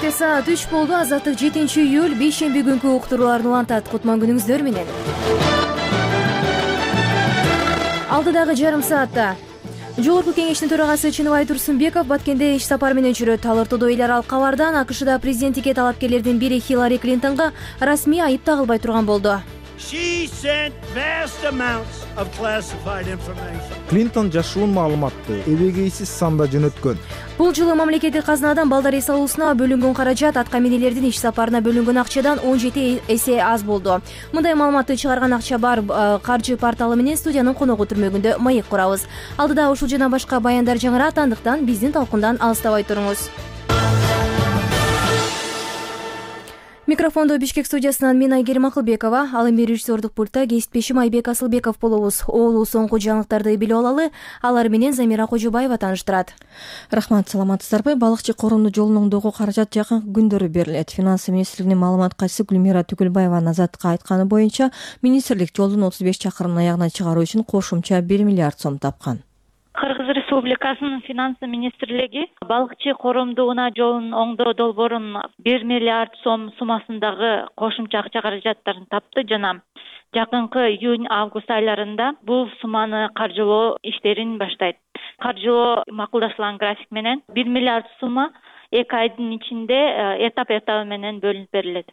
Кечте саат 3 болду. Азаттык 7-июль бейшемби күнкү уктурууларын улантат. Кутман күнүңүздөр менен. Алдыдагы жарым саатта Жогорку кеңештин төрагасы Чыныбай Турсунбеков Баткенде иш сапары менен жүрөт. Ал ортодо эл аралык кабардан АКШда президенттикке талапкерлердин бири Хиллари Клинтонго расмий айып тагылбай турган болду. Клинтон жашуун маалыматты эбегейсиз санда жөнөткөн. Бул жылы мамлекеттик казынадан балдар эс алуусуна бөлүнгөн каражат атка минелердин иш сапарына бөлүнгөн акчадан 17 эсе аз болду. Мындай маалыматты чыгарган акча бар каржы порталы менен студиянын коногу түрмөгүндө маек курабыз. Алдыда ушул жана башка баяндар жаңырат, андыктан биздин талкундан алыстабай туруңуз. Микрофондо Бишкек студиясынан мен Айгерим Акылбекова, ал эми режиссердук пультта кесиптешим Айбек Асылбеков болобуз. Оолу соңку жаңылыктарды билип алалы, алар менен Замира Кожобаева тааныштырат. Рахмат, саламатсыздарбы? Балыкчы коомдук жолунун оңдоого каражат жакынкы күндөрү берилет. Финансы министрлигинин маалымат катчысы Гүлмира Түгүлбаеванын Азаттыкка айтканы боюнча, министрлик жолдун 35 чакырымын аягына чыгаруу үчүн кошумча 1 миллиард сом тапкан. Кыргыз Республикасынын финансы министрлиги балыкчы коромдугуна жолун оңдоо долбоорун 1 миллиард сом суммасындагы кошумча акча каражаттарын тапты жана жакынкы июнь-август айларында бул сумманы каржылоо иштерин баштайт. Каржылоо макулдашылган график менен 1 миллиард сумма 2 айдын ичинде этап менен бөлүнүп берилет.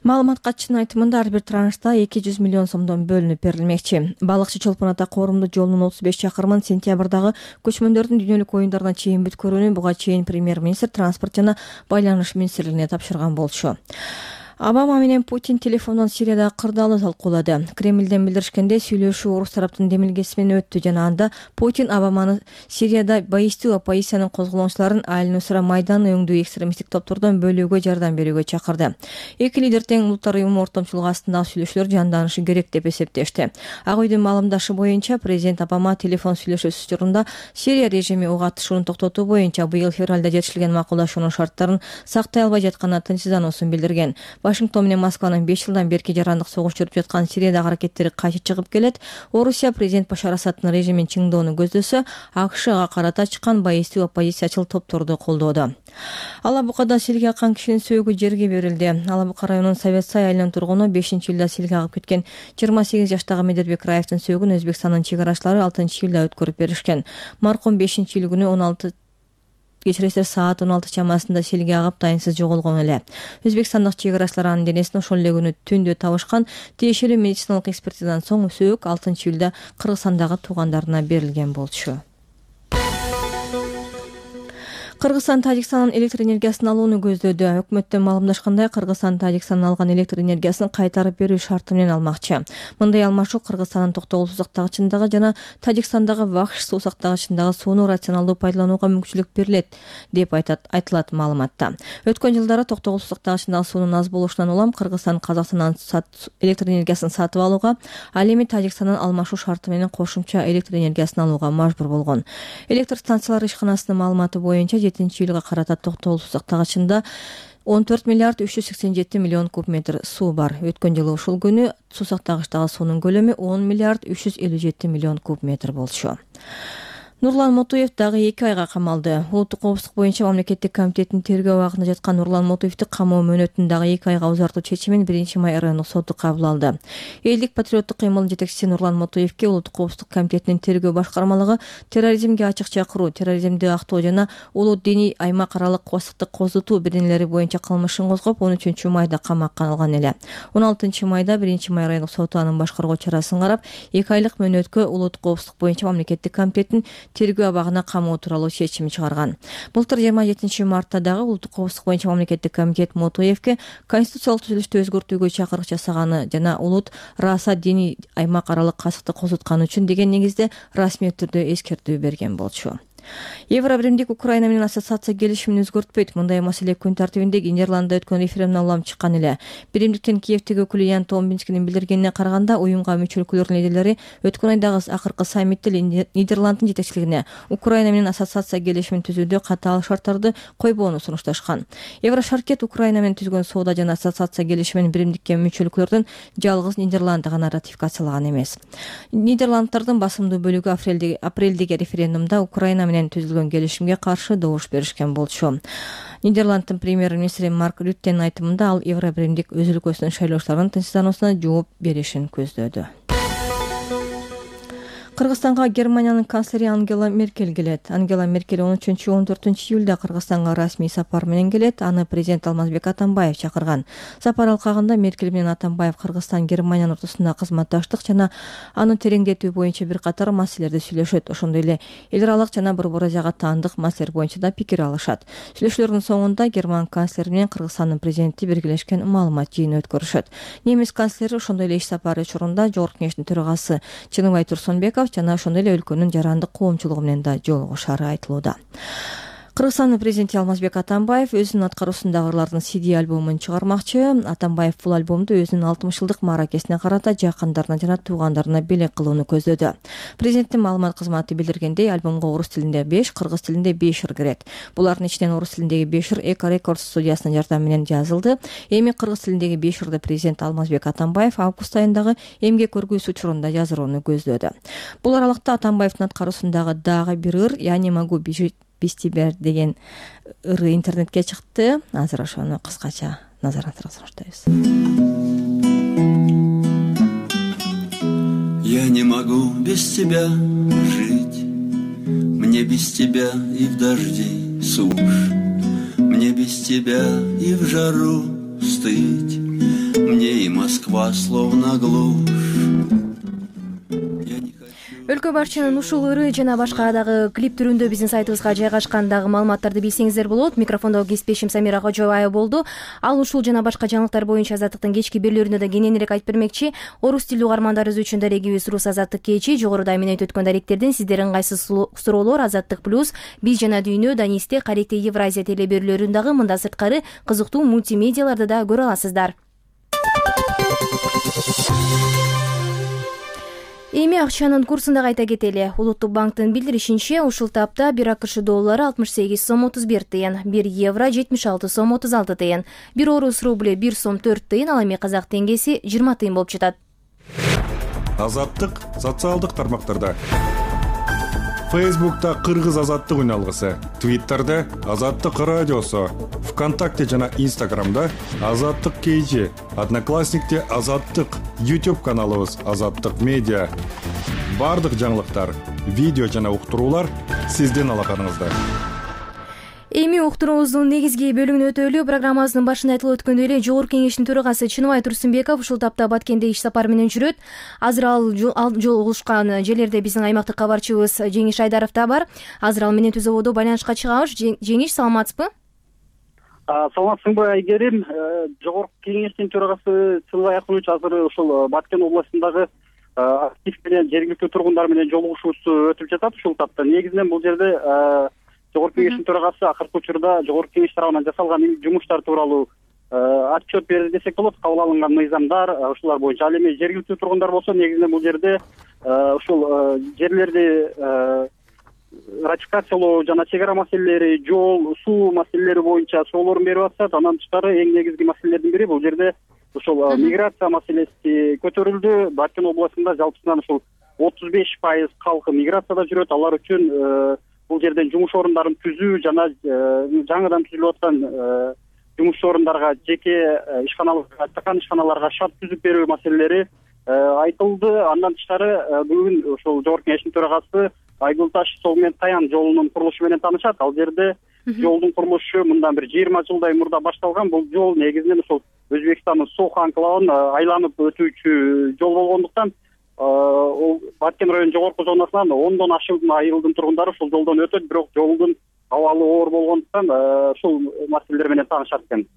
Маалымат катчынын айтымында ар бир траншта 200 миллион сомдон бөлүнүп берилмекчи. Балыкчы Чолпон Ата коомдук жолунун 35 чакырымын сентябрдагы көчмөндөрдүн дүйнөлүк оюндарына чейин бүткөрүүнү буга чейин премьер-министр транспорт жана байланыш министрлигине тапшырган болчу. Обама менен Путин телефондон Сириядагы кырдаалды талкуулады. Кремлден билдиришкенде сүйлөшүү орус тараптын демилгеси менен өттү жана анда Путин Обаманы Сирияда баистүү оппозициянын козголоңчуларын Аль-Нусра Майдан өңдүү экстремисттик топтордон бөлүүгө жардам берүүгө чакырды. Эки лидер тең улуттар уюму ортомчулугу астындагы сүйлөшүүлөр жанданышы керек деп эсептешти. Ак үйдүн маалымдашы боюнча президент Обама телефон сүйлөшүүсү учурунда Сирия режими ок атышууну токтотуу боюнча быйыл февралда жетишилген макулдашуунун шарттарын сактай албай жатканына тынчсыздануусун билдирген. Вашингтон менен Москванын 5 жылдан берки жарандык согуш жүрүп жаткан Сириядагы аракеттери кайчы чыгып келет. Орусия президент Башар Асадтын режимин чыңдоону көздөсө, АКШга карата чыккан баистүү оппозициячыл топторду колдоодо. Алабукада силге аккан кишинин сөөгү жерге берилди. Алабука районунун Совет Сай айылынын тургуну 5-июлда силге агып кеткен 28 жаштагы Медетбек Раевдин сөөгүн Өзбекстандын чек арачылары 6-июлда өткөрүп беришкен. Маркум 5-июль күнү саат 16 чамасында силге агып дайынсыз жоголгон эле. Өзбекстандык чек арачылар анын денесин ошол эле күнү түндө табышкан. Тиешелүү медициналык экспертизадан соң сөөк 6-июлда Кыргызстандагы туугандарына берилген болчу. Кыргызстан Тажикстандын электр энергиясын алууну көздөдү. Өкмөттөн маалымдашкандай, Кыргызстан Тажикстандан алган электр энергиясын кайтарып берүү шарты менен алмакчы. Мындай алмашуу Кыргызстандын токтогул суу сактагычындагы жана Тажикстандагы Вахш суу сактагычындагы сууну рационалдуу пайдаланууга мүмкүнчүлүк берилет деп айтылат маалыматта. Өткөн жылдары токтогул суу сактагычындагы суунун аз болушунан улам Кыргызстан Казакстандан электр энергиясын сатып алууга, ал эми Тажикстандан алмашуу шарты менен кошумча электр энергиясын алууга мажбур болгон. Электр станциялары ишканасынын маалыматы боюнча 7-июлга карата токтогул суу сактагычында 14 миллиард 387 миллион куб метр суу бар. Өткөн жылы ушул күнү суу сактагычтагы суунун көлөмү 10 миллиард 357 миллион куб метр болчу. Нурлан Мотуев дагы 2 айга камалды. Улуттук коопсуздук боюнча мамлекеттик комитеттин тергөө абагында жаткан Нурлан Мотуевди камоо мөөнөтүн дагы 2 айга узартуу чечимин 1-май райондук соту кабыл алды. Элдик патриоттук кыймылдын жетекчиси Нурлан Мотуевге Улуттук коопсуздук комитетинин тергөө башкармалыгы терроризмге ачык чакыруу, терроризмди актоо жана улуу диний аймак аралык кооссуздукту козутуу бирденелери боюнча кылмышын козгоп, 13-майда камакка алган эле. 16-майда 1-май райондук соту анын башкаргоо чарасын карап, 2 айлык мөөнөткө Улуттук коопсуздук боюнча мамлекеттик комитеттин тергөө абагына камоо тууралуу чечим чыгарган. Былтыр 27-мартта дагы Улуттук коопсуздук боюнча мамлекеттик комитет Мотуевге конституциялык түзүлүштү өзгөртүүгө чакырык жасаганы жана улут Раса диний аймак аралык касыкты козутканы үчүн деген негизде расмий түрдө эскертүү берген болчу. Евробиримдик Украина менен ассоциация келишимин өзгөртпөйт. Мындай маселе күн тартибиндеги Нидерландда өткөн референдумдан улам чыккан эле. Биримдиктин Киевдеги өкүлү Ян Томбинскинин билдиргенине караганда, уюмга мүчө өлкөлөрдүн лидерлери өткөн айдагы акыркы саммитте Нидерланддын жетекчилигине Украина менен ассоциация келишимин түзүүдө катаал шарттарды койбоону сунушташкан. Еврошаркет Украина менен түзгөн соода жана ассоциация келишимин биримдикке мүчө өлкөлөрдүн жалгыз Нидерланды гана ратификациялаган эмес. Нидерланддардын басымдуу бөлүгү апрелдеги референдумда Украина менен менен түзүлгөн келишимге каршы добуш беришкен болчу. Нидерланддын премьер-министри Марк Рюттенин айтымында ал Евробиримдик өз өлкөсүнүн шайлоочуларынын тынчсыздануусуна жооп беришин көздөдү. Кыргызстанга Германиянын канцлери Ангела Меркель келет. Ангела Меркель 13-14 июлда Кыргызстанга расмий сапар менен келет. Аны президент Алмазбек Атамбаев чакырган. Сапар алкагында Меркель менен Атамбаев Кыргызстан Германиянын ортосунда кызматташтык жана аны тереңдетүү боюнча бир катар маселелерди сүйлөшөт. Ошондой эле эл аралык жана Борбор Азияга таандык маселелер боюнча да пикир алышат. Сүйлөшүүлөрдүн соңунда Герман канцлери менен Кыргызстандын президенти биргелешкен маалымат жыйыны өткөрүшөт. Немис канцлери ошондой эле иш сапары учурунда Жогорку Кеңештин төрагасы Чыныбай Турсунбеков жана ошондой эле өлкөнүн жарандык коомчулугу менен да жолугушары айтылууда. Кыргызстандын президенти Алмазбек Атамбаев өзүнүн аткаруусундагы ырлардын CD альбомун чыгармакчы. Атамбаев бул альбомду өзүнүн 60 жылдык мааракесине карата жакындарына жана туугандарына белек кылууну көздөдү. Президенттин маалымат кызматы билдиргендей, альбомго орус тилинде 5, кыргыз тилинде 5 ыр кирет. Булардын ичинен орус тилиндеги 5 ыр Эко Рекордс студиясынын жардамы менен жазылды. Эми кыргыз тилиндеги 5 ырды президент Алмазбек Атамбаев август айындагы эмгек көргүүсү учурунда жаздырууну көздөдү. Бул аралыкта Атамбаевдин аткаруусундагы дагы бир ыр «Я не могу без тебя» деген ыры интернетке чыкты. Азыр ошону кыскача назарыңыздарга сунуштайбыз. Я не могу без тебя жить, мне без тебя и в дожди сушь, мне без тебя и в жару стыть, мне и Москва словно глушь. Өлкө башчынын ушул ыры жана башка дагы клип түрүндө биздин сайтыбызга жайгашкан дагы маалыматтарды билсеңиздер болот. Микрофондо кесиптешим Самира Кожобаева болду. Ал ушул жана башка жаңылыктар боюнча Азаттыктын кечки берүүлөрүндө да кененирээк айтып бермекчи. Орус тилдүү угармандарыбыз үчүн дарегибиз Рус Азаттык кечи. Жогоруда эмне өткөн даректерден сиздердин кайсы суроолор Азаттык плюс, биз жана дүйнө, Данисте, Каректе, Евразия телеберүүлөрүн дагы мында сырткары кызыктуу мультимедиаларды да көрө аласыздар. Эми акчанын курсун да кайта кетели. Улуттук банктын билдиришинче, ушул тапта 1 АКШ доллары 68 сом 31 тыйын, 1 евро 76 сом 36 тыйын, 1 орус рубль 1 сом 4 тыйын, ал эми казак теңгеси 20 тыйын болуп жатат. Азаттык социалдык тармактарда. Фейсбукта Кыргыз Азаттык үналгысы, Твиттерде Азаттык радиосу, ВКонтакте жана Инстаграмда Азаттык KG, Одноклассникте Азаттык, YouTube каналыбыз Азаттык медиа. Бардык жаңылыктар, видео жана уктуруулар сиздин алаканыңызда. Эми уктуруубуздун негизги бөлүгүнө өтөлү. Программабыздын башында айтылып өткөндөй эле Жогорку Кеңештин төрагасы Чыныбай Турсунбеков ушул тапта Баткенде иш сапары менен жүрөт. Азыр ал жолугушкан жерлерде биздин аймактык кабарчыбыз Жеңиш Айдаров да бар. Азыр ал менен түзөбодо байланышка чыгабыз. Жеңиш, саламатсызбы? Саламатсыңбы Айгерим? Жогорку Кеңештин төрагасы Чыныбай Акунович азыр ушул Баткен областындагы актив менен жергиликтүү тургундар менен жолугушуусу өтүп жатат ушул тапта. Негизинен бул жерде Жогорку Кеңештин төрагасы акыркы учурда Жогорку Кеңеш тарабынан жасалган жумуштар тууралуу отчет берди десек болот. Кабыл алынган мыйзамдар ушулар боюнча. Ал эми жергиликтүү тургундар болсо, негизинен бул жерде ушул жерлерди ратификациялоо жана чек ара маселелери, жол, суу маселелери боюнча суроолорун берип атышат. Андан тышкары эң негизги маселелердин бири бул жерде ушул миграция маселеси көтөрүлдү. Баткен областында жалпысынан ушул 35% калкы миграцияда жүрөт. Алар үчүн бул жерден жумуш орундарын түзүү жана жаңыдан түзүлүп аткан жумуш орундарга, жеке ишканаларга, чакан ишканаларга шарт түзүп берүү маселелери айтылды. Андан тышкары бүгүн ошол Жогорку Кеңештин төрагасы Айгул Таш Сол менен Таян жолунун курулушу менен таанышат. Ал жерде жолдун курулушу мындан бир 20 жылдай мурда башталган. Бул жол негизинен ошол Өзбекстандын Сохо анклавын айланып өтүүчү жол болгондуктан Баткен районунун жогорку зонасынан 10дон ашык айылдын тургундары ушул жолдон өтөт, бирок жолдун абалы оор болгондуктан ушул маселелер менен таанышат экен.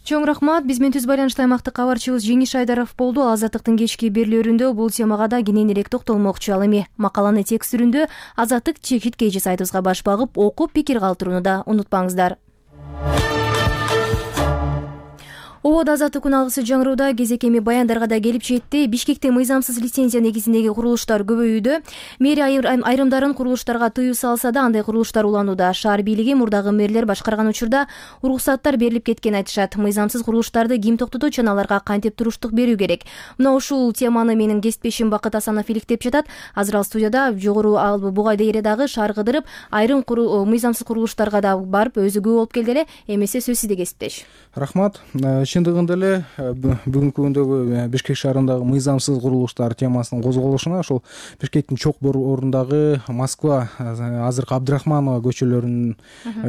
Чоң рахмат. Биз менен түз байланышта аймактык кабарчыбыз Жеңиш Айдаров болду. Азаттыктын кечки берүүлөрүндө бул темага да кененирээк токтолмокчу. Ал эми макаланы текст түрүндө Азаттык чекит KG сайтыбызга баш багып окуп пикир калтырууну да унутпаңыздар. Ободо азаттык күн алгысы жаңырууда кезек эми баяндарга да келип жетти. Бишкекте мыйзамсыз лицензия негизиндеги курулуштар көбөйүүдө. Мэрия айрымдарын курулуштарга тыюу салса да андай курулуштар уланууда. Шаар бийлиги мурдагы мэрлер башкарган учурда уруксаттар берилип кеткен айтышат. Мыйзамсыз курулуштарды ким токтотот жана аларга кантип туруштук берүү керек? Мына ушул теманы менин кесиптешим Бакыт Асанов иликтеп жатат. Азыр ал студияда жогору бугай дэриядагы шаар кыдырып, айрым мыйзамсыз курулуштарга да барып өзү күбө болуп келди эле. Эмесе сөз сизде кесиптеш. Рахмат. Чындыгында эле бүгүнкү күндөгү Бишкек шаарындагы мыйзамсыз курулуштар темасынын козголушуна ошол Бишкектин чок борундагы Москва азыркы Абдрахманова көчөлөрүнүн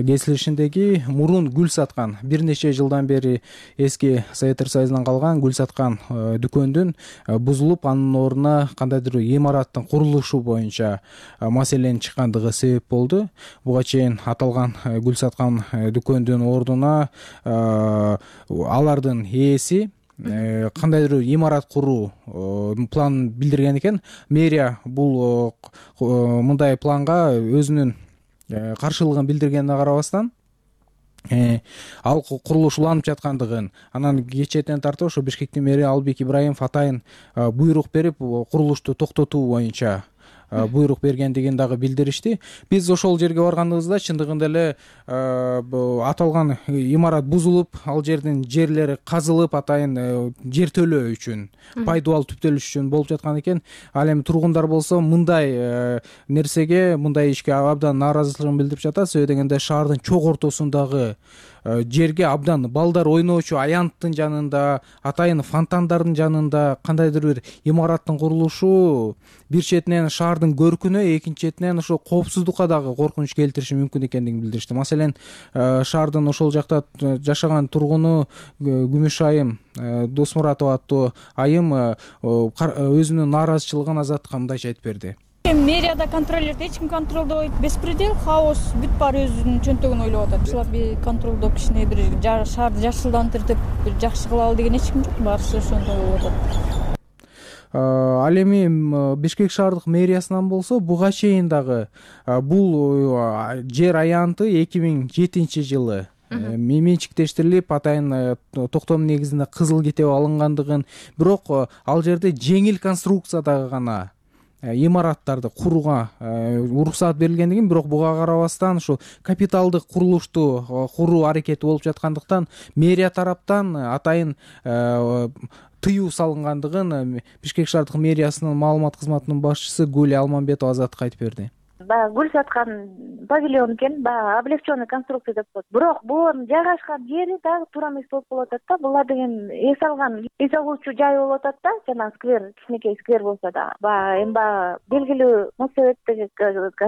кесилишиндеги мурун гүл саткан бир нече жылдан бери эски Советтер Союзунан калган гүл саткан дүкөндүн бузулуп, анын ордуна кандайдыр имараттын курулушу боюнча маселенин чыккандыгы себеп болду. Буга чейин аталган гүл саткан дүкөндүн ордуна алардын ээси кандайдыр имарат куруу планын билдирген экен. Мэрия бул мындай планга өзүнүн каршылыгын билдиргенине карабастан ал курулуш уланып жаткандыгын, анан кечээден тартып ошо Бишкектин мэри Албек Ибраимов атайын буйрук берип курулушту токтотуу боюнча буйрук бергендигин дагы билдиришти. Биз ошол жерге баргандыгыбызда чындыгында эле аталган имарат бузулуп, ал жердин жерлери казылып, атайын жер төлөө үчүн, пайдубал түптөлүш үчүн болуп жаткан экен. Ал эми тургундар болсо мындай нерсеге, мындай ишке абдан нааразычылыгын билдирип жатат. Себеби дегенде шаардын чок ортосундагы жерге абдан балдар ойноочу аянттын жанында, атайын фонтандардын жанында кандайдыр бир имараттын курулушу бир четинен шаардын көркүнө, экинчи четинен ошо коопсуздукка дагы коркунуч келтириши мүмкүн экендигин билдиришти. Маселен, шаардын ошол жакта жашаган тургуну Күмүш айым Досмуратова аттуу айым өзүнүн нааразычылыгын Азаттыкка мындайча айтып берди. Мэрияда контролерди эч ким контролдобойт, беспредел, хаос, бүт баары өзүнүн чөнтөгүн ойлоп атат. Ушулар контролдоп кичине бир шаарды жакшылдантырып, бир жакшы кылалы деген эч ким жок, баарысы ошондой болуп атат. Ал эми Бишкек шаардык мэриясынан болсо буга чейин дагы бул жер аянты 2007-жылы менчиктештирилип, атайын токтом негизинде кызыл китеп алынгандыгын, бирок ал жерде жеңил конструкциядагы гана имараттарды курууга уруксаат берилгендигин, бирок буга карабастан ушул капиталдык курулушту куруу аракети болуп жаткандыктан мэрия тараптан атайын тыюу салынгандыгын Бишкек шаардык мэриясынын маалымат кызматынын башчысы Гүл Алмамбетова Азаттыкка айтып берди. Баягы гүл саткан павильон экен, баягы облегченный конструкция деп коет. Бирок булардын жайгашкан жери дагы туура эмес болуп калып атат да. Булар деген эс алуучу жай болуп атат да, жана сквер, кичинекей сквер болсо да. Баягы эми белгилүү Моссоветтеги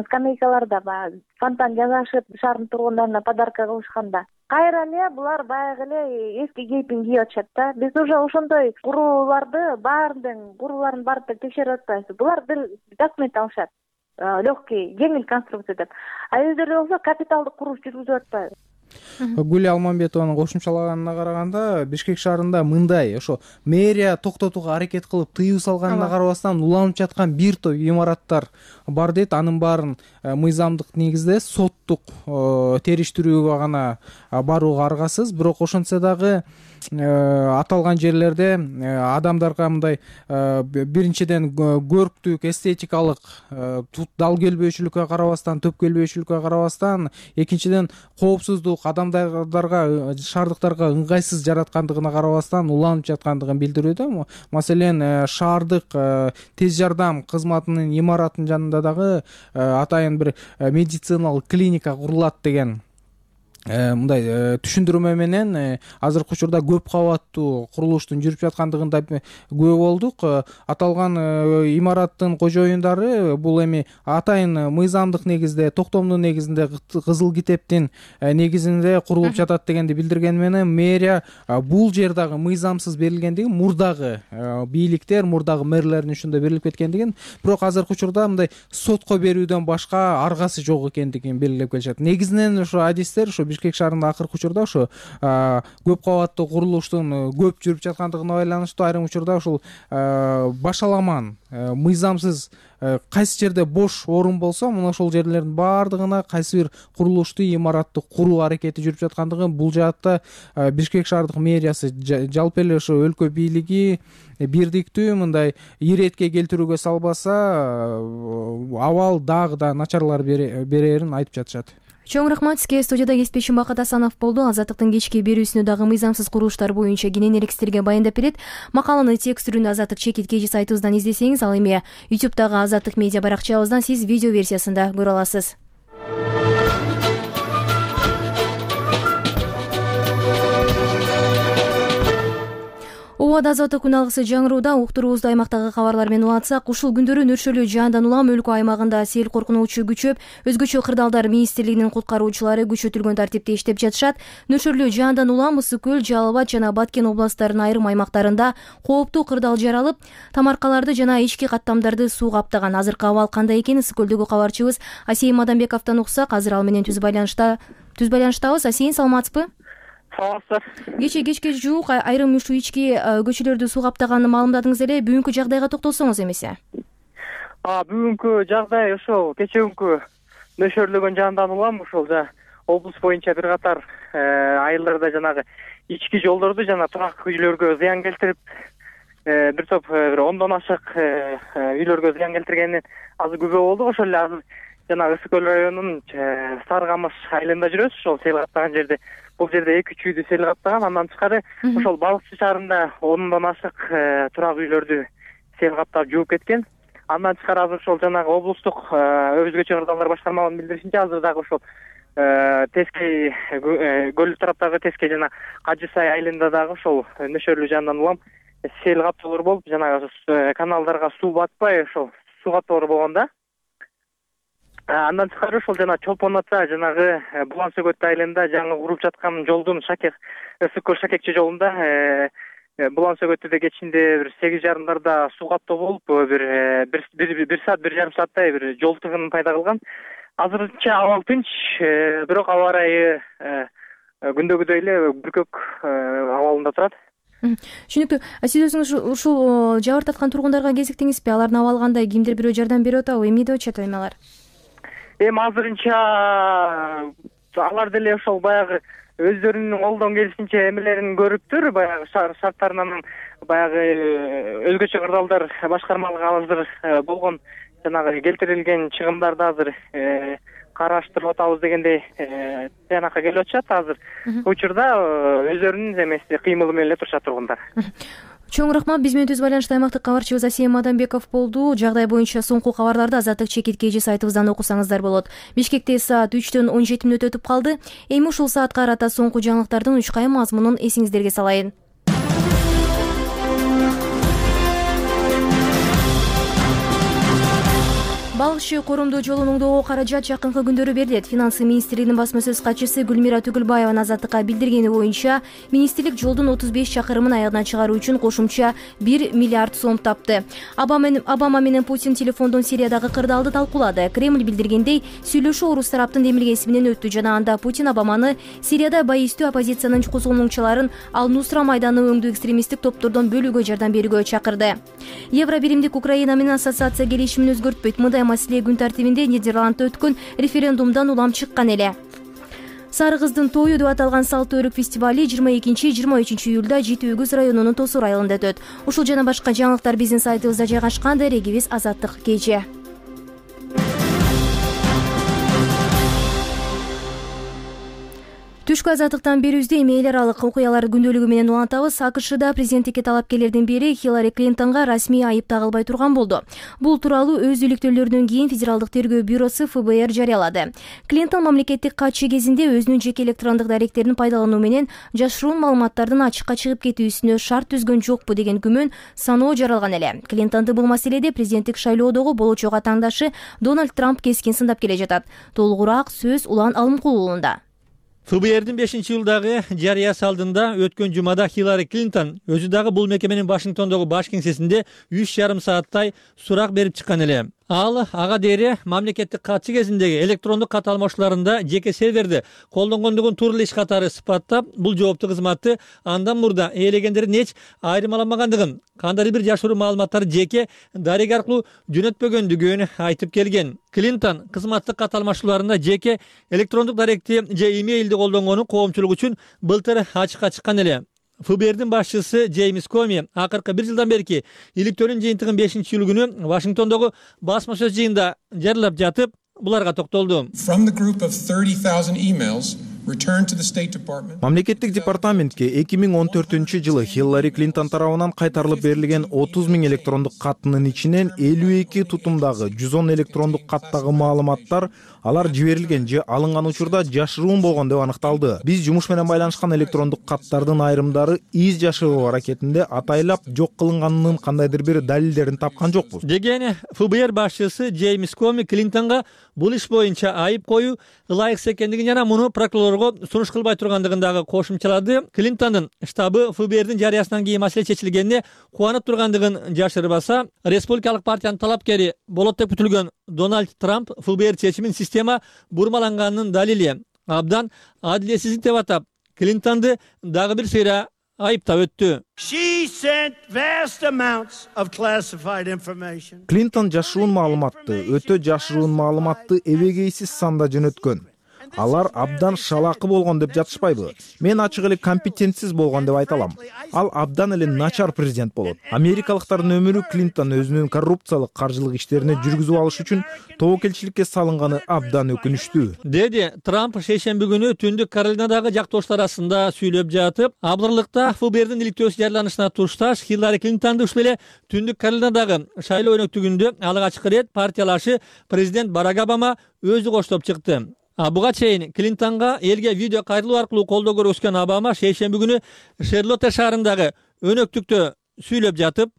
скамейкаларда баягы фонтан жасашып, шаардын тургундарына подарка кылышканда кайра эле булар баягы эле эски кейпин кийип атышат да. Биз уже ошондой курууларды курууларын барып текшерип атпайбыз. Булар бир документ алышат. Легкий, жеңил конструкция деп. А өздөрү болсо капиталдык курулуш жүргүзүп атпайбы. Гүл Алмамбетованын кошумчалаганына караганда, Бишкек шаарында мындай ошо мэрия токтотууга аракет кылып тыюу салганына карабастан уланып жаткан бир топ имараттар бар дейт. Анын баарын мыйзамдык негизде соттук териштирүүгө гана барууга аргасыз. Бирок ошентсе дагы аталган жерлерде адамдарга мындай биринчиден көрктүк, эстетикалык дал келбөөчүлүккө карабастан, төп келбөөчүлүккө карабастан, экинчиден коопсуздук, адамдарга, шаардыктарга ыңгайсыз жараткандыгына карабастан уланып жаткандыгын билдирүүдө. Маселен, шаардык тез жардам кызматынын имараттын жанында дагы атайын бир медициналык клиника курулат деген мындай түшүндүрмө менен азыркы учурда көп кабаттуу курулуштун жүрүп жаткандыгында күбө болдук. Аталган имараттын кожоюндары бул эми атайын мыйзамдык негизде, токтомдун негизинде, кызыл китептин негизинде курулуп жатат дегенди билдирген менен мэрия бул жер дагы мыйзамсыз берилгендигин, мурдагы бийликтер, мурдагы мэрлердин ушундай берилип кеткендигин, бирок азыркы учурда мындай сотко берүүдөн башка аргасы жок экендигин белгилеп келишет. Негизинен ошо адистер, ошо Бишкек шаарында акыркы учурда ошо көп кабаттуу курулуштун көп жүрүп жаткандыгына байланыштуу айрым учурда ушул башаламан мыйзамсыз кайсы жерде бош орун болсо мына ошол жерлердин баардыгына кайсы бир курулушту имаратты куруу аракети жүрүп жаткандыгын бул жаатта Бишкек шаардык мэриясы жалпы эле ошо өлкө бийлиги бирдиктүү мындай иретке келтирүүгө салбаса абал дагы да начарлар берерин айтып жатышат. Чоң рахмат сизге. Студияда кесипбешим Бакыт Асанов болду. Азаттыктын кечки берүүсүнө дагы мыйзамсыз курулуштар боюнча кененирээк сиздерге баяндап берет. Макаланы текстүрүндө Азаттык чекит KG сайтыбыздан издесеңиз, ал эми YouTube'дагы Азаттык медиа баракчабыздан сиз видео версиясында көрө аласыз. Убада азаттык күн алгысы жаңырууда уктуруубузду аймактагы кабарлар менен улантсак, ушул күндөрү нөршөлүү жаандан улам өлкө аймагында сел коркунучу күчөп, өзгөчө кырдаалдар министрлигинин куткаруучулары күчөтүлгөн тартипте иштеп жатышат. Нөршөлүү жаандан улам Ысык көл, Жалал Абад жана Баткен областтарынын айрым аймактарында кооптуу кырдаал жаралып, тамаркаларды жана ички каттамдарды суу каптаган. Азыркы абал кандай экен Ысык көлдөгү кабарчыбыз Асейин Мадамбековдон уксак, азыр ал менен түз байланыштабыз. Асейин, саламатсызбы? Кечке жуук айрым ушу ички көчөлөрдү суу каптаганын маалымдадыңыз эле. Бүгүнкү жагдайга токтолсоңуз эмесе? Бүгүнкү жагдай ошол кечээкү нөшөрлөгөн жаандан улам ушул облус боюнча бир катар айылдарда жанагы ички жолдорду жана турак үйлөргө зыян келтирип, бир топ бир 10дон ашык үйлөргө зыян келтиргенин азыр күбө болду. Ошол эле азыр жанагы Ысык көл районунун Сары Камыш айылында жүрөбүз. Ошол сел каптаган жерде, бул жерде 2-3 үйдү сел каптаган. Андан тышкары ошол Балыкчы шаарында 10дон ашык турак үйлөрдү сел каптап жууп кеткен. Андан тышкары азыр ошол жанагы облустук өзгөчө кырдаалдар башкармалыгынын билдиришинче, азыр дагы ошол Тескей көл тараптагы Тескей жана Кажы Сай айылында дагы ошол нөшөрлүү жаандан улам сел каптоолор болуп, жанагы каналдарга суу батпай, ошол суу каптоолор болгон да. Андан тышкары ошол жана Чолпон Ата жанагы Булан Сөгөт айылында жаңы куруп жаткан жолдун Ысык көл Шакекче жолунда Булан Сөгөттү кечинде бир 8:30 суу каптоо болуп, бир саат, 1,5 сааттай бир жол тыгын пайда кылган. Азырынча абал тынч, бирок аба ырайы күндөгүдөй эле бүркөк абалында турат. Түшүнүктүү. Сиз өзүңүз ушул жабыр тарткан тургундарга кезиктиңизби? Алардын абалы кандай? Кимдир бирөө жардам берип атабы? Эмне деп атышат эми алар? Азырынча алар деле ошол баягы өздөрүнүн колдон келишинче эмелерин көрүптүр. Баягы шарттарынан баягы өзгөчө кырдаалдар башкармалыгы азыр болгон жанагы келтирилген чыгымдарды азыр караштырып атабыз дегендей тыянакка келип атышат. Азыр учурда өздөрүнүн эмеси кыймылы менен эле турушат тургундар. Чоң рахмат. Биз менен түз байланышта аймактык кабарчыбыз Асейин Мадамбеков болду. Жагдай боюнча соңку кабарларды Азаттык чекит KG сайтыбыздан окусаңыздар болот. Бишкекте саат 3-төн 17 мүнөт өтүп калды. Эми ушул саатка карата соңку жаңылыктардын 3 кайым мазмунун эсиңиздерге салайын. Балыкчы коромдуу жолун оңдоого каражат жакынкы күндөрү берилет. Финансы министрлигинин басма сөз катчысы Гүлмира Түгүлбаеванын Азаттыкка билдиргени боюнча, министрлик жолдун 35 чакырымын аягына чыгаруу үчүн кошумча 1 миллиард сом тапты. Обама менен Путин телефондон Сириядагы кырдаалды талкуулады. Кремль билдиргендей, сүйлөшүү орус тараптын демилгеси менен өттү жана анда Путин Обаманы Сирияда байыстуу оппозициянын козголмоңчуларын Ал-Нусра майданы өңдүү экстремисттик топтордон бөлүүгө жардам берүүгө чакырды. Евро биримдик Украина менен ассоциация келишимин өзгөртпөйт. Мындай маселе күн тартибинде Нидерландда өткөн референдумдан улам чыккан эле. Сары кыздын тою деп аталган салттуу өрүк фестивали 22-23 июлда Жети Өгүз районунун Тосур айылында өтөт. Ушул жана башка жаңылыктар биздин сайтыбызда жайгашкан. Дарегибиз Азаттык KG. Түшкү азаттыктан берүүбүздө эми эл аралык окуялар күндөлүгү менен улантабыз. АКШда президенттикке талапкерлердин бири Хиллари Клинтонго расмий айып тагылбай турган болду. Бул тууралуу өз иликтөөлөрүнөн кийин Федералдык тергөө бюросу ФБР жарыялады. Клинтон мамлекеттик катчы кезинде өзүнүн жеке электрондук даректерин пайдалануу менен жашыруун маалыматтардын ачыкка чыгып кетүүсүнө шарт түзгөн жокпу деген күмөн саноо жаралган эле. Клинтонду бул маселеде президенттик шайлоодогу болочок атаандашы Дональд Трамп кескин сындап келе жатат. Толугураак сөз Улан Алымкулуулунда. ФБРдин 5-жылдагы жарыясы алдында өткөн жумада Хиллари Клинтон өзү дагы бул мекеменин Вашингтондогу баш кеңсесинде 3,5 сааттай сурак берип чыккан эле. Ал ага дээри мамлекеттик катчы кезиндеги электрондук кат алмашууларында жеке серверди колдонгондугун туура эле иш катары сыпаттап, бул жооптуу кызматты андан мурда ээлегендердин эч айырмаламагандыгын, кандайдыр бир жашыруу маалыматтарды жеке дарега аркылуу жөнөтпөгөндүгүн айтып келген. Клинтон кызматтык кат алмашууларында жеке электрондук даректи же имейлди колдонгону коомчулук үчүн былтыр ачыкка чыккан эле. ФБРдин башчысы Джеймс Коми акыркы 1 жылдан берки иликтөөнүн жыйынтыгын 5-июль күнү Вашингтондогу басма сөз жыйынында жарыялап жатып, буларга токтолду. Мамлекеттик департаментке 2014-жылы Хиллари Клинтон тарабынан кайтарылып берилген 30 000 электрондук каттын ичинен 52 тутумдагы 110 электрондук каттагы маалыматтар алар жиберилген же алынган учурда жашыруун болгон деп аныкталды. Биз жумуш менен байланышкан электрондук каттардын айрымдары из жашыруу аракетинде атайлап жок кылынганынын кандайдыр бир далилдерин тапкан жокпуз, деген ФБР башчысы Джеймс Коми Клинтонго бул иш боюнча айып коюу ылайыксыз экендигин жана муну прокурорго сунуш кылбай тургандыгын дагы кошумчалады. Клинтондун штабы ФБРдин жарыясынан кийин маселе чечилгенине кубанып тургандыгын жашырбаса, республикалык партиянын талапкери болот деп күтүлгөн Дональд Трамп ФБР чечимин система бурмаланганынын далили. Абдан адилетсиздик деп атап, Клинтонду дагы бир сыйра айыптап өттү. Клинтон жашыруун маалыматты, өтө жашыруун маалыматты эбегейсиз санда жөнөткөн. Алар абдан шалакы болгон деп жатышпайбы? Мен ачык эле компетентсиз болгон деп айта алам. Ал абдан эле начар президент болот. Америкалыктардын өмүрү Клинтон өзүнүн коррупциялык каржылык иштерине жүргүзүп алыш үчүн тобокелчиликке салынганы абдан өкүнүчтүү, деди Трамп шейшемби күнү Түндүк Каролинадагы жактоштор арасында сүйлөп жатып. Абдырлыкта ФБРдин иликтөөсү жарыяланышына тушташ Хиллари Клинтонду ушул эле Түндүк Каролинадагы шайлоо өнөктүгүндө алгачкы ирет партиялашы президент Барак Обама өзү коштоп чыкты. Буга чейин Клинтонго элге видео кайрылуу аркылуу колдоо көрсөткөн Обама шейшемби күнү Шарлотта шаарындагы өнөктүктө сүйлөп жатып,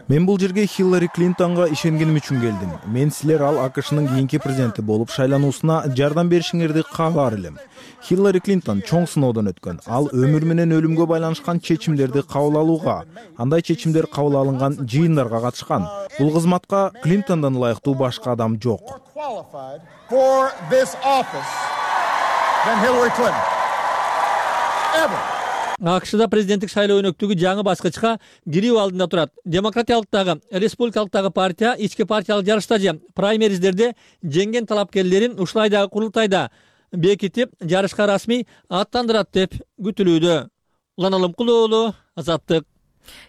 мен бул жерге Хиллари Клинтонго ишенгеним үчүн келдим. Мен силер ал АКШнын кийинки президенти болуп шайлануусуна жардам беришиңерди каалар элем. Хиллари Клинтон чоң сыноодон өткөн. Ал өмүр менен өлүмгө байланышкан чечимдерди кабыл алууга, андай чечимдер кабыл алынган жыйындарга катышкан. Бул кызматка Клинтондон ылайыктуу башка адам жок. АКШда президенттик шайлоо өнөктүгү жаңы баскычка кирүү алдында турат. Демократиялыктагы, республикалыктагы партия ички партиялык жарышта же праймериздерде жеңген талапкерлерин ушулайдагы курултайда бекитип, жарышка расмий аттандырат деп күтүлүүдө. Улан Алымкулуу уулу, Азаттык.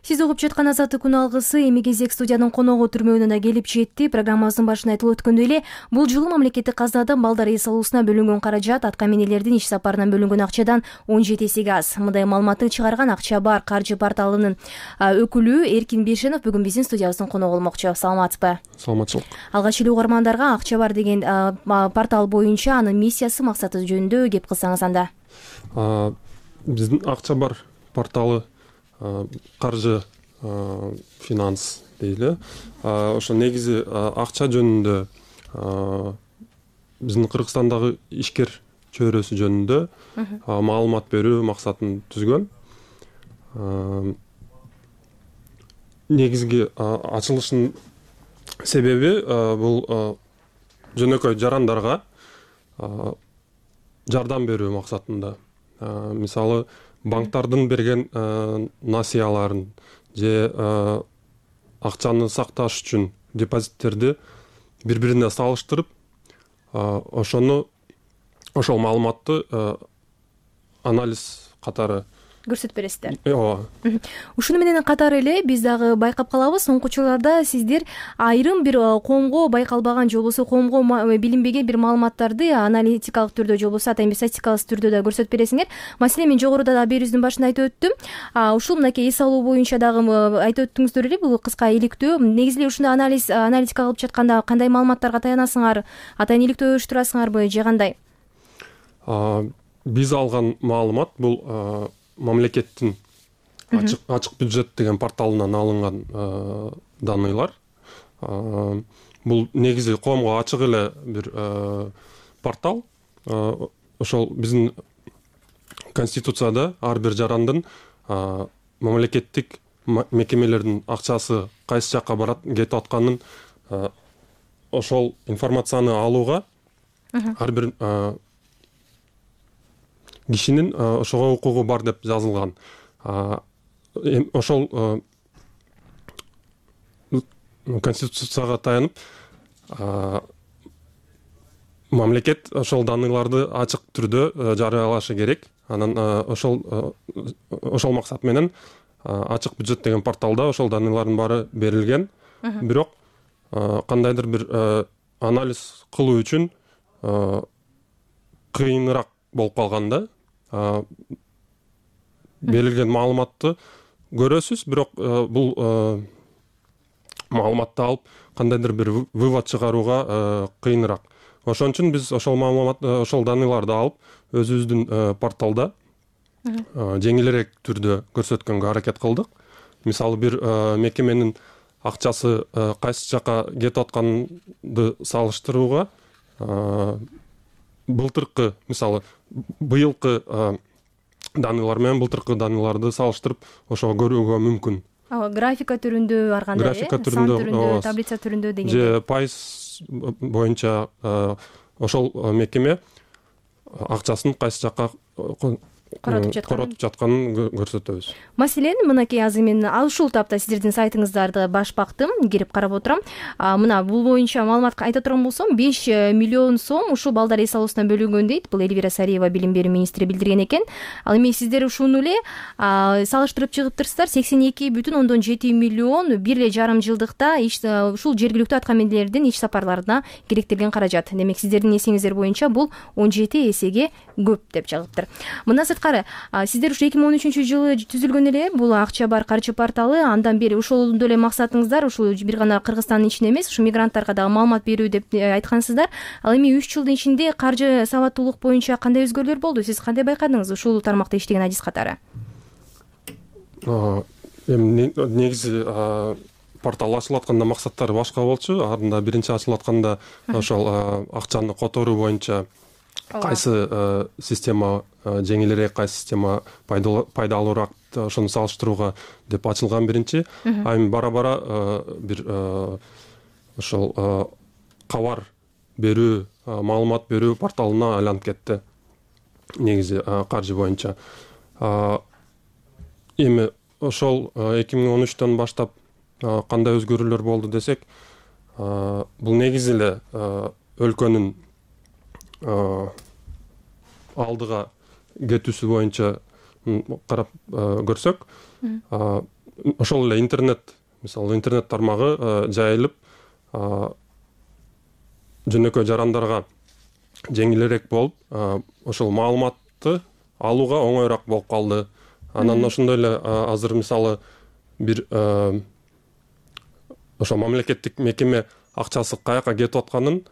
Сиз угуп жаткан Азаттык күн алгысы эми кезек студиянын коногу түрмөөнүнө келип жетти. Программабыздын башында айтылып өткөндөй эле, бул жылы мамлекеттик казнадан балдар эс алуусуна бөлүнгөн каражат атка минелердин иш сапарынан бөлүнгөн акчадан 17 эсеге аз. Мындай маалыматты чыгарган Акча бар каржы порталынын өкүлү Эркин Бешенов бүгүн биздин студиябыздын коногу болмокчу. Саламатсызбы? Саламатчылык. Алгач эле угармандарга Акча бар деген портал боюнча анын миссиясы, максаты жөнүндө кеп кылсаңыз анда. Биздин Акча бар порталы каржы финанс дейли. Ошо негизи акча жөнүндө биздин Кыргызстандагы ишкер чөйрөсү жөнүндө маалымат берүү максатын түзгөн. Негизги ачылыштын себеби бул жөнөкөй жарандарга жардам берүү максатында. Мисалы, банктардын берген насыяларын же акчаны сакташ үчүн депозиттерди бири-бирине салыштырып, ошол маалыматты анализ катары көрсөтүп бересиздер. Ооба. Ушуну менен катары эле биз дагы байкап калабыз, соңку учурларда сиздер айрым бир коомго байкалбаган же болбосо коомго билинбеген бир маалыматтарды аналитикалык түрдө же болбосо атайын бир статистикалык түрдө да көрсөтүп бересиңер. Маселен, мен жогоруда да берүүбүздүн башында айтып өттүм. Ушул мынакей эс алуу боюнча дагы айтып өттүңүздөр эле, бул кыска иликтөө. Негизи эле ушундай аналитика кылып жатканда кандай маалыматтарга таянасыңар? Атайын иликтөө уюштурасыңарбы же кандай? Биз алган маалымат бул мамлекеттин ачык бюджет деген порталынан алынган даныйлар. Бул негизи коомго ачык эле бир портал. Ошол биздин конституцияда ар бир жарандын мамлекеттик мекемелердин акчасы кайсы жакка барат, кетип атканын ошол информацияны алууга ар бир кишинин ошого укугу бар деп жазылган. Ошол конституцияга таянып мамлекет ошол даныларды ачык түрдө жарыялашы керек. Анан ошол максат менен ачык бюджет деген порталда ошол данылардын баары берилген. Бирок кандайдыр бир анализ кылуу үчүн кыйыныраак болуп калганда берилген маалыматты көрөсүз, бирок бул маалыматты алып кандайдыр бир вывод чыгарууга кыйыныраак. Ошон үчүн биз ошол маалымат, ошол даныларды алып өзүбүздүн порталда жеңилирээк түрдө көрсөткөнгө аракет кылдык. Мисалы бир мекеменин акчасы кайсы жакка кетип атканды салыштырууга былтыркы, мисалы быйылкы данылар менен былтыркы даныларды салыштырып ошого көрүүгө мүмкүн. Графика түрүндө ар кандай, сан түрүндө, таблица түрүндө деген. Же пайыз боюнча ошол мекеме акчасын кайсы жакка коротуп жатканын көрсөтөбүз. Маселен, мынакей азыр мен ушул тапта сиздердин сайтыңыздарды баш бактым, кирип карап отурам. Мына бул боюнча маалымат айта турган болсом, 5 миллион сом ушул балдар эс алуусуна бөлүнгөн дейт. Бул Элвира Сариева билим берүү министри билдирген экен. Ал эми сиздер ушуну эле салыштырып чыгыптырсыздар. 82,7 миллион 1,5 жылдыкта ушул жергиликтүү аткаминерлердин иш сапарларына керектелген каражат. Демек сиздердин эсеңиздер боюнча бул 17 эсеге көп деп чыгыптыр. Мына сырткары сиздер ушу 2013 жылы түзүлгөн эле бул акча бар каржы порталы, андан бери ошолдо эле максатыңыздар ушул бир гана Кыргызстандын ичинде эмес, ушу мигранттарга дагы маалымат берүү деп айткансыздар. Ал эми 3 жылдын ичинде каржы сабаттуулук боюнча кандай өзгөрүүлөр болду? Сиз кандай байкадыңыз ушул тармакта иштеген адис катары? Эми негизи портал ачылып атканда максаттары башка болчу. Анда биринчи ачылып атканда ошол акчаны которуу боюнча кайсы система жеңилирээк, кайсы система пайдалуураак, ошону салыштырууга деп ачылган биринчи. Эми бара-бара бир ошол кабар берүү, маалымат берүү порталына айланып кетти. Негизи каржы боюнча. Эми ошол 2013төн баштап кандай өзгөрүүлөр болду десек, бул негизи эле өлкөнүн алдыга кетүүсү боюнча карап көрсөк, ошол эле интернет, мисалы интернет тармагы жайылып, жөнөкөй жарандарга жеңилирээк болуп, ошол маалыматты алууга оңоюраак болуп калды. Анан ошондой эле азыр мисалы бир ошол мамлекеттик мекеме акчасы каяка кетип атканын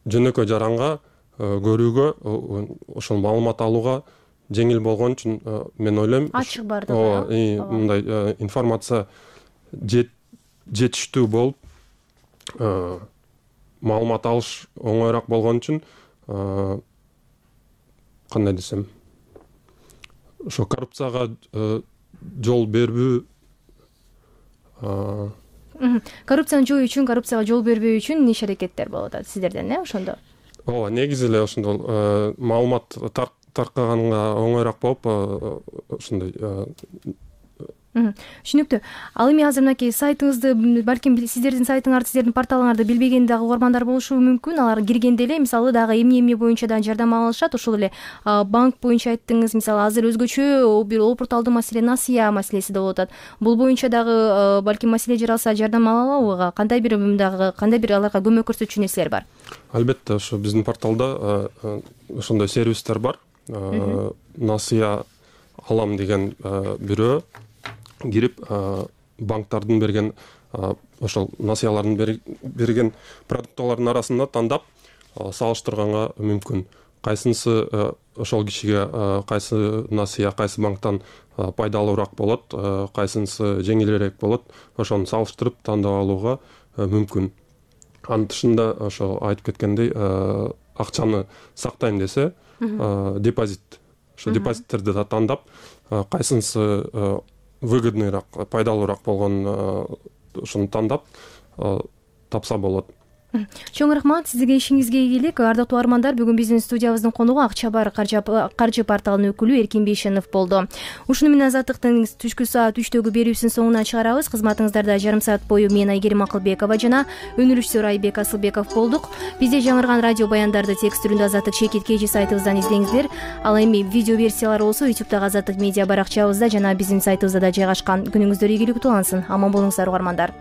жөнөкөй жаранга көрүүгө, ошол маалымат алууга жеңил болгон үчүн мен ойлойм, ачык бардыгы. Мындай информация жетиштүү болуп, маалымат алыш оңоюраак болгон үчүн кандай десем, ошо коррупцияга жол бербүү, коррупцияны жоюу үчүн, коррупцияга жол бербөө үчүн иш аракеттер болуп атат сиздерден, ошондо? Ооба, негизи эле ошондо маалымат таркаганга оңоюраак болуп, ошондой. Түшүнүктүү. Ал эми азыр мынакей сайтыңызды, балким сиздердин сайтыңарды, сиздердин порталыңарды билбеген дагы угармандар болушу мүмкүн. Алар киргенде эле мисалы дагы эмне боюнча да жардам алышат. Ошол эле банк боюнча айттыңыз. Мисалы азыр өзгөчө бир порталдын маселе насыя маселеси да болуп атат. Бул боюнча дагы балким маселе жаралса жардам ала алабы? Кандай бир аларга көмөк көрсөтчү нерселер бар? Албетте, ошо биздин порталда ошондой сервистер бар. Насыя алам деген бирөө кирип, банктардын берген ошол насыялардын берген продуктылардын арасында тандап салыштырганга мүмкүн. Кайсынысы ошол кишиге кайсы насыя, кайсы банктан пайдалуураак болот, кайсынысы жеңилирээк болот, ошону салыштырып тандап алууга мүмкүн. Анын тышында ошо айтып кеткендей, акчаны сактайм десе, депозит, ошо депозиттерди да тандап, кайсынысы выгодныйраак, пайдалуураак болгон ушуну тандап тапса болот. Чоң рахмат сизге, ишиңизге ийгилик. Ардактуу угармандар, бүгүн биздин студиябыздын конугу Акча бар каржы порталынын өкүлү Эркин Бейшенов болду. Ушуну менен Азаттыктын түшкү саат 3-төгү берүүсүнүн соңуна чыгарабыз. Кызматыңыздарда жарым саат бою мен Айгерим Акылбекова жана өнүрүшчү Айбек Асылбеков болдук. Бизде жаңырган радио баяндарды текст түрүндө Азаттык Шекит KG сайтыбыздан издеңиздер. Ал эми видео версиялары болсо YouTube'дагы Азаттык медиа баракчабызда жана биздин сайтыбызда да жайгашкан. Күнүңүздөр ийгиликтүү улансын. Аман болуңуздар угармандар.